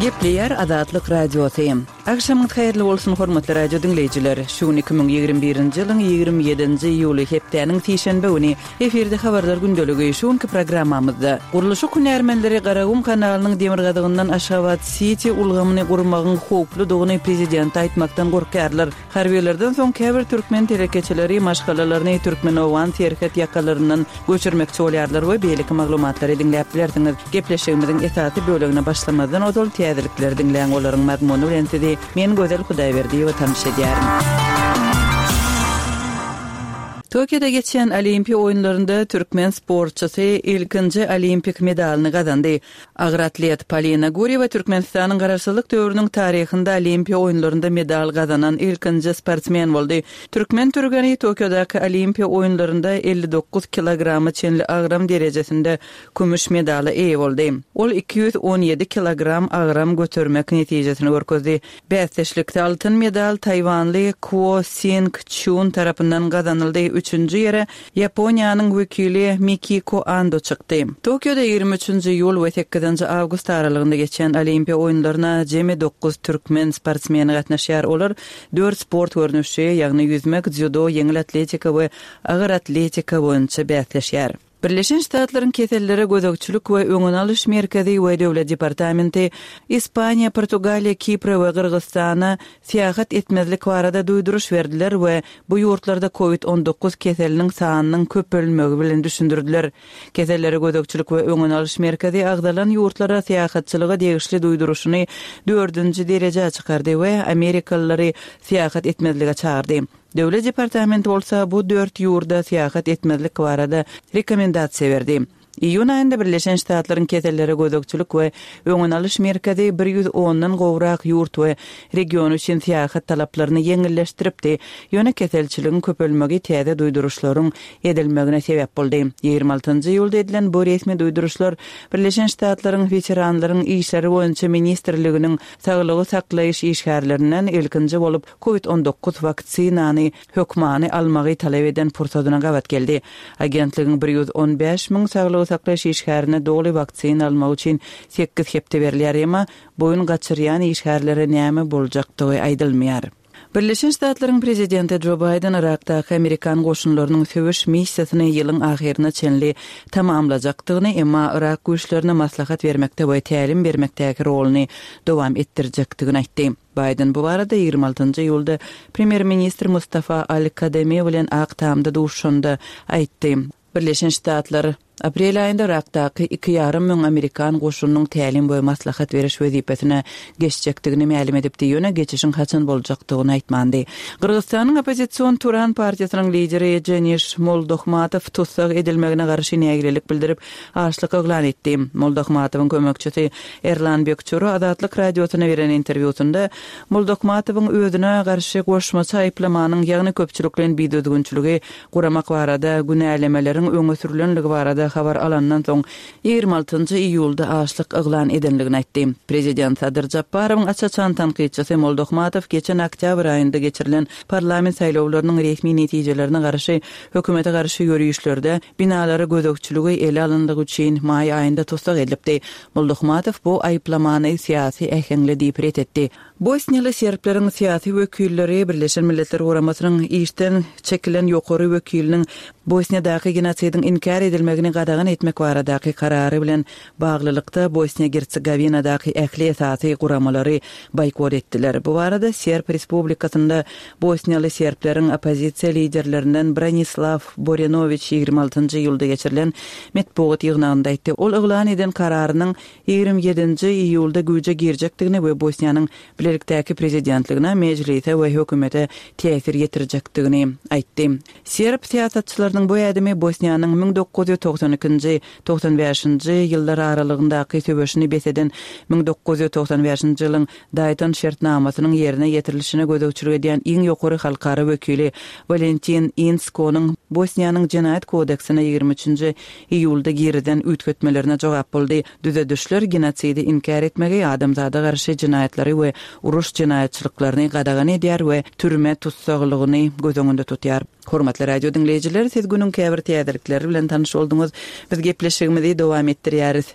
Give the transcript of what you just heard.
Gepleýär Azatlyk Radiosy. Agşamyňyz haýyrly bolsun, hormatly radio diňleýjiler! Şu gün 2021-nji ýylyň 27-nji iýuly, hepdäniň sişenbe güni. Efirde Habarlar gündeligi. Şu günki programmamyzda, Gurluşyk hünärmenleri Garagum kanalynyň demirgazygyndan Aşgabat-siti ulgamyny gurmagyň howpludygyny prezidente aýtmakdan gorkýarlar. Harbylardan soň käbir türkmen telekeçileri maşgalalaryny türkmen-owgan serhet ýakalaryndan göçürmekçi bolýarlar we beýleki maglumatlary diňläp bilersiňiz. Gepleşigimiziň esasy bölegine başlamazdan ozal täzelikleri diňläň, olaryň mazmuny bilen sizi men Gözel Hudaýberdiýewa tanyş edýärin. Tokioda geçýän Olimpiýa oýunlarynda türkmen sportçysy ilkinji olimpik medalyny gazandy. Agyr atlet Polina Gurýewa Türkmenistanyň Garaşsyzlyk döwrüniň taryhynda Olimpiýa oýunlarynda medal gazanan ilkinji sportsmen boldy. Türkmen türgeni Tokiodaky Olimpiýa oýunlarynda 59 kilograma çenli agram derejesinde kümüş medala eýe boldy. Ol 217 kilogram agram götermek netijesini görkezdi. Bäsdeşlikde altyn medal taýwanly Kuo Sing Çun tarapyndan gazanyldy, üçünji ýere Ýaponiýanyň wekili Mikiko Ando çykdy. Tokioda 23 nji iýul we sekizinji awgust aralygynda geçýän Olimpiýa oýunlaryna jemi dokuz türkmen sportsmeni gatnaşýar. Olar dört sport görnüşi, ýagny ýüzmek, dzýudo, ýeňil atletika we agyr atletika boýunça bäsleşýär. Birleşen Ştatlaryň Kesellere gözegçilik we öňüni alyş merkezi we Döwlet departamenti Ispaniýa, Portugaliýa, Kipre we Gyrgyzystana syýahat etmezlik barada duýduryş berdiler we bu ýurtlarda Covid 19 keseliniň sanynyň köpelmegi bilen düşündirdiler. Kesellere gözegçilik we öňüni alyş merkezi agzalan ýurtlara syýahatçylyga degişli duýduryşyny dördünji derejä çykardy we amerikalylary syýahat etmezlige çagyrdy. Döwlet departamenti bolsa bu dört ýurda syýahat etmezlik barada rekomendasiýa berdi. Iýun aýynda Birleşen Ştatlaryň Kesellere gözegçilik we öňüni alyş merkezi bir ýüz ondan gowrak ýurt we region üçin syýahat talaplaryny ýeňilleşdiripdi, ýöne keselçiligiň köpelmegi täze duýduryşlaryň edilmegine sebäp boldy. 26 iýulda edilen bu resmi duýduryşlar Birleşen Ştatlaryň Weteranlaryň işleri boýunça ministrliginiň saglygy saklaýyş işgärlerinden ilkinji bolup Covid 19 waksinany hökmany almagy talap eden pursadyna gabat geldi. Agentligiň 115 müň saglygy saklaýyş işgärine doly waksina almak üçin sekiz hepde berilýär, emma boýun gaçyrýan işgärlere näme boljakdygy aýdylmaýar. Birleşen Ştatlaryň prezidenti Jo Baýden Yrakdaky amerikan goşunlarynyň söweş missiýasyny ýylyň ahyryna çenli tamamlajakdygyny, emma yrak güýçlerine maslahat bermekde we tälim bermekdäki roluny dowam etdirjekdigini aýtdy. Baýden bu barada 26 iýulda premýer-ministr Mustafa al-Kademi bilen Ak Tamda duşuşanda aýtdy. Birleşen Ştatlar aprel aýynda Yrakdaky iki ýarym müň amerikan goşunynyň tälim we maslahat beriş wezipesine geçjekdigini mälim edipdi, ýöne geçişiň haçan boljakdygyny aýtmandy. Gyrgyzystanyň oppozision Turan partiýasynyň lideri Jeniş Moldohmatow tussag edilmegine garşy nägilelik bildirip, açlyk yglan etdi. Moldahmatowyň kömekçisi Erlan Bekçuro Azatlyk Radiosyna beren interwýusynda Moldahmatowyň özüne garşy goşmaça aýyplamanyň, ýagny köpçülikleýin bidüzgünçiligi guramak barada günälemeleriň öňe sürlenligi barada habar alandan soň 26 iýulda açlyk yglan edenligini aýtdy. Prezident Sadyr Japarowyň aç-açan tankytçysy Moldahmatow geçen oktýabr aýynda geçirilen parlament saýlawlarynyň resmi netijelerine garşy hökümete garşy ýörişlerde Binalara gözegçiligi ele alyndygy üçin maý aýynda tussag edilipdi. Moldahmatow bu aýyplamany syýasy äheňli diýip ret etdi. Bosniýaly serbleriň syýasy wekilleri Birleşen Milletler Guramasynyň işden çekilen ýokary wekiliniň Bosniýadaky genosidiň inkär edilmegini gadagan etmek baradaky karary bilen baglylykda Bosniýa-Gersegowinadaky ähli esasy guramalary boýkot etdiler. Bu barada Serb Respublikasynda bosniýaly serbleriň oppozisiýa liderlerinden Branislaw Borenowiç 26 iýulda geçirilen metbugat ýygnagynda aýtdy. Ol yglan eden kararynyň 27 iýulda güýje girjekdigini we Bosniýanyň bilelikdäki prezidentligine, mejlise we hökümete täsir ýetirjekdigini aýtdy. Serb syýasatçylarynyň bu ädimi Bosniýanyň 1992-nji, 95-nji ýyllar aralygyndaky söweşini bes eden 1995-nji ýylyň Daýton şertnamasynyň ýerine ýetirilişine gözegçilik edýän iň ýokary halkara wekili Walentin Inskonyň Bosniýanyň Jenaýat kodeksine 23-nji iýulda girizen üýtgetmelerine jogap boldy. Düzedişler genosidi inkär etmegi, adamzada garşy jenaýatlary we uruş jenaýatçylyklaryny gadagan edýär we türme tussaglygyny göz öňünde tutýar. Hormatly radio diňleýjiler, siz günüň käbir täzelikleri bilen tanyş bolduňyz. Biz gepleşigimizi dowam etdirýäris.